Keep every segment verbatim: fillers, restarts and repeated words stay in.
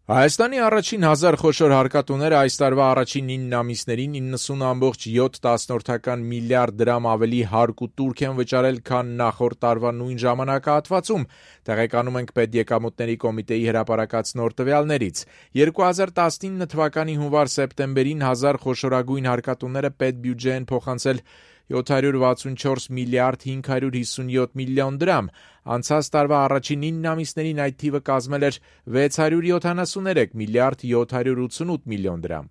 Հայաստանի առաջին հազար խոշոր հարկատուները այս տարվա առաջին ինը ամիսներին իննսուն ամբողջ յոթ տասնորդական միլիարդ դրամ ավելի հարկ ու տուրք են վճարել, քան նախորդ տարվա նույն ժամանակահատվածում, տեղեկանում ենք Պետեկամուտների կոմիտեի հրապարակած նոր տվյալներից։ երկու հազար տասնինը թվականի հունվար-սեպտեմբերին հազար խոշորագույն հարկատուները պետբյուջե են փոխանցել յոթ հարյուր վաթսունչորս միլիարդ հինգ հարյուր հիսունյոթ միլիոն դրամ, անցած տարվա առաջին ինը ամիսներին այդ թիվը կազմել էր վեց հարյուր յոթանասուններեք միլիարդ յոթ հարյուր ութսունութ միլիոն դրամ։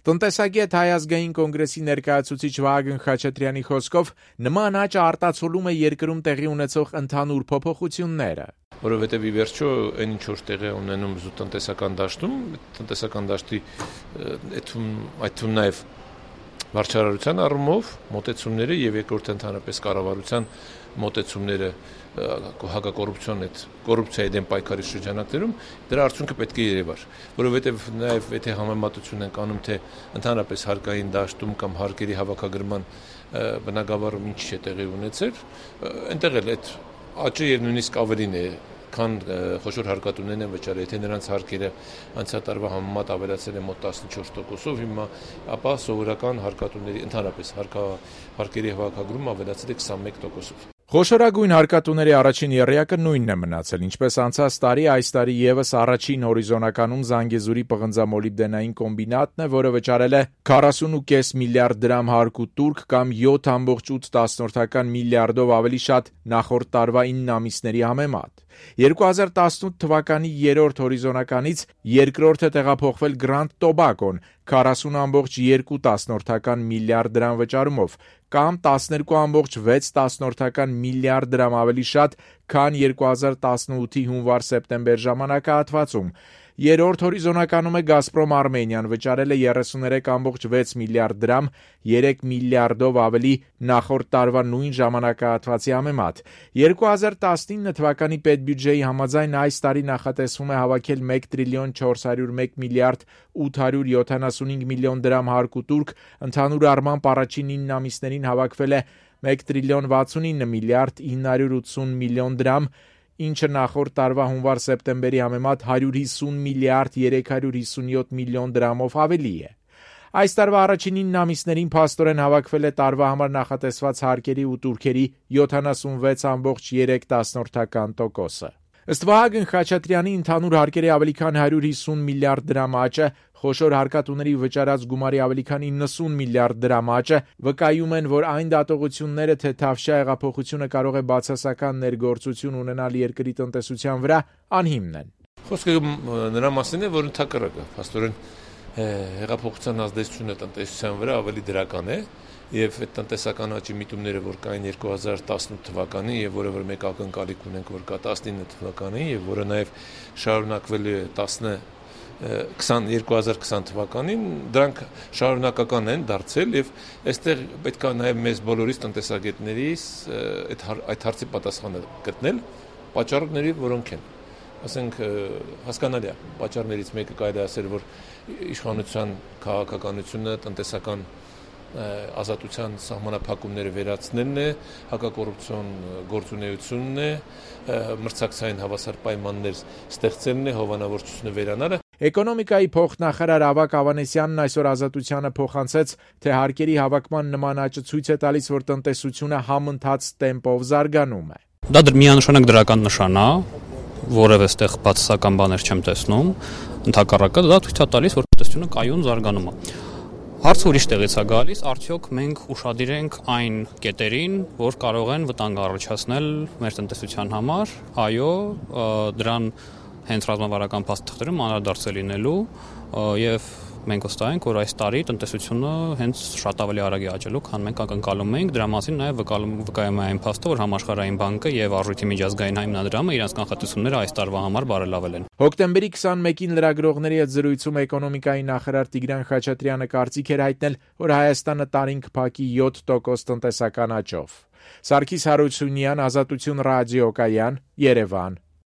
Տնտեսագետ Հայ ազգային կոնգրեսի ներկայացուցիչ Վահագն Խաչատրյանի խոսքով նման աճը արտացոլում է երկրում տեղի ունեցող ընդհանուր փոփոխությունները։ Որովհետև ի վերջո այն ինչ որ տեղի ունենում զուտ տնտեսական դաշտում, տնտեսական դաշտի այդ այդ թվում նաև վարչարարության առումով մոտեցումները եւ երկրորդ ընդհանրապես կառավարության մոտեցումները հակակոռուպցիոն այդ կոռուպցիայի դեմ պայքարի շրջանակներում դրա արդյունքը պետք է երևար, որովհետեւ նաեւ եթե համեմատություն ենք անում թե ընդհանրապես հարկային դաշտում կամ հարկերի հավաքագրման բնագավառում ինչ է տեղի ունեցել, այնտեղ էլ այդ աճը եւ նույնիսկ ավելին է քան խոշոր հարկատուներն են վճարել, եթե նրանց հարկերը անցյալ տարվա համեմատ ավելացել են մոտ տասնչորս տոկոսով, հիմա ապա սովորական հարկատուների ընդհանրապես հարկա հարկերի հավաքագրում ավելացել է քսանմեկ տոկոսով։ Խոշորագույն հարկատուների առաջին եռյակը նույնն է մնացել, ինչպես անցած տարի, այս տարի եւս առաջին հորիզոնականում Զանգեզուրի պղնձամոլիբդենային կոմբինատն է, որը վճարել է քառասուն ու կես միլիարդ դրամ հարկ ու տուրք կամ յոթ ամբողջ ութ տասնորդական միլիարդով ավելի շատ նախորդ տարվա ինը ամիսների համեմատ։ երկու հազար տասնութ թվականի երրորդ հորիզոնականից երկրորդը տեղափոխվել Grand Tobacco-ն քառասուն ամբողջ երկու տասնորդական միլիարդ դրամ վճարումով, կամ տասներկու ամբողջ վեց տասնորդական միլիարդ դրամ ավելի շատ, քան երկու հազար տասնութի հունվար-սեպտեմբեր ժամանակահատվածում։ Երրորդ հորիզոնականում է Գազպրոմ Արմենիան, վճարել է երեսուներեք ամբողջ վեց միլիարդ դրամ, երեք միլիարդով ավելի նախորդ տարվա նույն ժամանակահատվածի համեմատ։ երկու հազար տասնինը թվականի պետբյուջեի համաձայն այս տարի նախատեսվում է հավաքել մեկ տրիլիոն չորս հարյուր մեկ միլիարդ ութ հարյուր յոթանասունհինգ միլիոն դրամ հարկ ու տուրք, ընդհանուր առմամբ առաջին ինը ամիսներին հավաքվել է մեկ տրիլիոն վաթսունինը միլիարդ ինը հարյուր ութսուն միլիոն դրամ, ինչը նախորդ տարվա հունվար-սեպտեմբերի համեմատ հարյուր հիսուն միլիարդ երեք հարյուր հիսունյոթ միլիոն դրամով ավելի է։ Այս տարվա առաջին ինը ամիսներին փաստորեն հավաքվել է տարվա համար նախատեսված հարկերի ու տուրքերի յոթանասունվեց ամբողջ երեք տասնորդական տոկոսը։ Ըստ Վահագն Խաչատրյանի, ընդհանուր հարկերի ավելի քան հարյուր հիսուն միլիարդ դրամ աճը, խոշոր հարկատուների վճարած գումարի ավելի քան իննսուն միլիարդ դրամ աճը վկայում են, որ այն դատողությունները, թե Թավշյա հեղափոխությունը կարող է բացասական ներգործություն ունենալ երկրի տնտեսության վրա, անհիմն են։ Խոսքը նրա մասին է, որ ընդհակառակը փաստորեն հեղափոխության ազդեցությունը տնտեսության վրա ավելի դրական է, եւ այդ տնտեսական աճի միտումները, որ կային երկու հազար տասնութ թվականին եւ որը որ մեկ ակնկալիք ունենք, որ կա տասնինը թվականին եւ որը նաեւ շարունակվելու է տասը երկու հազար քսան թվականին, դրանք շարունակական են դարձել եւ այստեղ պետք է նաեւ մեզ բոլորիս տնտեսագետներիս այդ այդ հարցի պատասխանը գտնել, պատճառները որոնք են։ Ասենք հասկանալի է, պատճառներից մեկը կարելի է ասել, որ իշխանության քաղաքականությունը, տնտեսական ազատության սահմանափակումները վերացնելն է, հակակոռուպցիոն գործունեությունն է, մրցակցային հավասար պայմաններ ստեղծելն է, հովանավորչությունը վերանալը։ Էկոնոմիկայի փոխնախարար Ավագ Ավանեսյանն այսօր Ազատությանը փոխանցեց, թե հարկերի հավաքման նման աճը ցույց է տալիս, որ տնտեսությունը համընթաց տեմպով զարգանում է։ Դա միանշանակ դրական նշան է, որևէ ստեղ բացասական բաներ չեմ տեսնում, ընդհակառակը դա ցույց է տալիս, որ տնտեսությունը կայուն զարգանում է։ Հարցը ուրիշ տեղից է գալիս, արդյոք մենք ուշադիր ենք այն կետերին, որ կարող են վտանգ առաջացնել մեր տնտեսության համար, այո, դրան հենց ռազմավարական փաստաթղթերում անդրադարձել լինելու եւ մենք վստահ ենք, որ այս տարի տնտեսությունը հենց շատ ավելի արագ է աճելու, քան մենք ակնկալում էինք, դրա մասին նաեւ վկայում է այն փաստը, որ Համաշխարհային բանկը եւ Արժույթի միջազգային հիմնադրամը իրենց կանխատեսումները այս տարվա համար բարելավել են։ Հոկտեմբերի քսանմեկին լրագրողների հետ զրույցում էկոնոմիկայի նախարար Տիգրան Խաչատրյանը կարծիք էր հայտնել, որ Հայաստանը տարին կփակի յոթ տոկոս տնտեսական աճով։ Սարգիս Հարությունյան, Ազատություն ռադիո կայան, Երևան։